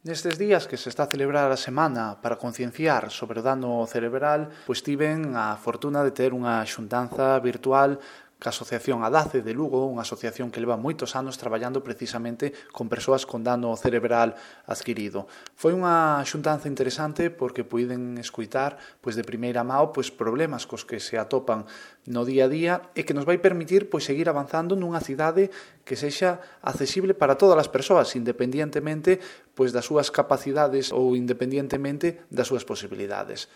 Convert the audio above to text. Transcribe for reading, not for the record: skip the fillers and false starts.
Nestes días que se está a celebrar a semana para concienciar sobre o dano cerebral, pois tiven a fortuna de ter unha xuntanza virtual ca Asociación Adace de Lugo, unha asociación que leva moitos anos traballando precisamente con persoas con dano cerebral adquirido. Foi unha xuntanza interesante porque puiden escuitar pois de primeira mão pois problemas cos que se atopan no día a día e que nos vai permitir pois seguir avanzando nunha cidade que sexa accesible para todas as persoas, independientemente pois das súas capacidades ou independientemente das súas posibilidades.